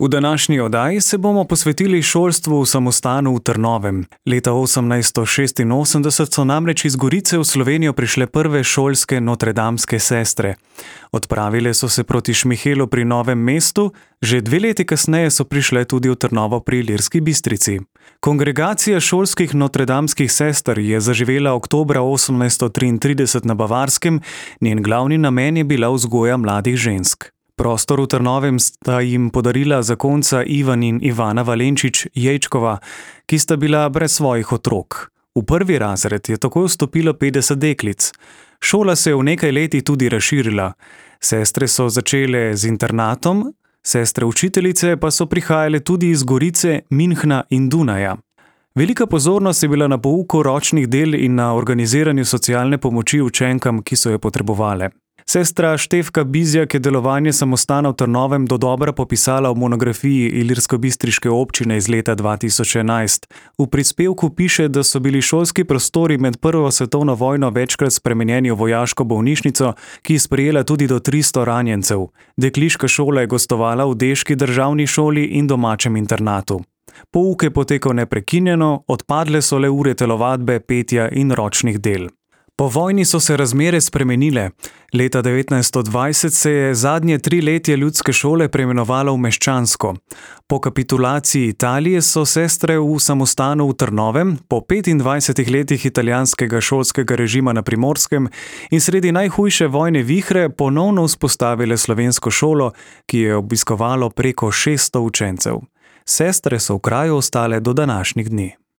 V današnji oddaji se bomo posvetili šolstvu v samostanu v Trnovem. Leta 1886 so namreč iz Gorice v Slovenijo prišle prve šolske notredamske sestre. Odpravile so se proti Šmihelu pri Novem mestu, že 2 leti kasneje so prišle tudi v Trnovo pri Ilirski Bistrici. Kongregacija šolskih notredamskih sester je zaživela oktobra 1833 na Bavarskem, njen glavni namen je bila vzgoja mladih žensk. Prostor v Trnovem sta jim podarila zakonca Ivan in Ivana Valenčič-Jejčkova, ki sta bila brez svojih otrok. V prvi razred je takoj vstopilo 50 deklic. Šola se je v nekaj letih tudi razširila. Sestre so začele z internatom, sestre učiteljice pa so prihajale tudi iz Gorice, Minhna in Dunaja. Velika pozornost je bila na pouku ročnih del in na organiziranju socialne pomoči učenkam, ki so jo potrebovale. Sestra Štefka Bizjak je delovanje samostana v Trnovem dodobra popisala v monografiji Ilirskobistriške občine iz leta 2011. V prispevku piše, da so bili šolski prostori med Prvo svetovno vojno večkrat spremenjeni v vojaško bolnišnico, ki je sprejela tudi do 300 ranjencev. Dekliška šola je gostovala v deški državni šoli in domačem internatu. Pouk je potekal neprekinjeno, odpadle so le ure telovadbe, petja in ročnih del. Po vojni so se razmere spremenile. Leta 1920 se je zadnje 3 letje ljudske šole preimenovalo v meščansko. Po kapitulaciji Italije so sestre v samostanu v Trnovem, po 25 letih italijanskega šolskega režima na Primorskem in sredi najhujše vojne vihre ponovno vzpostavile slovensko šolo, ki je obiskovalo preko 600 učencev. Sestre so v kraju ostale do današnjih dni.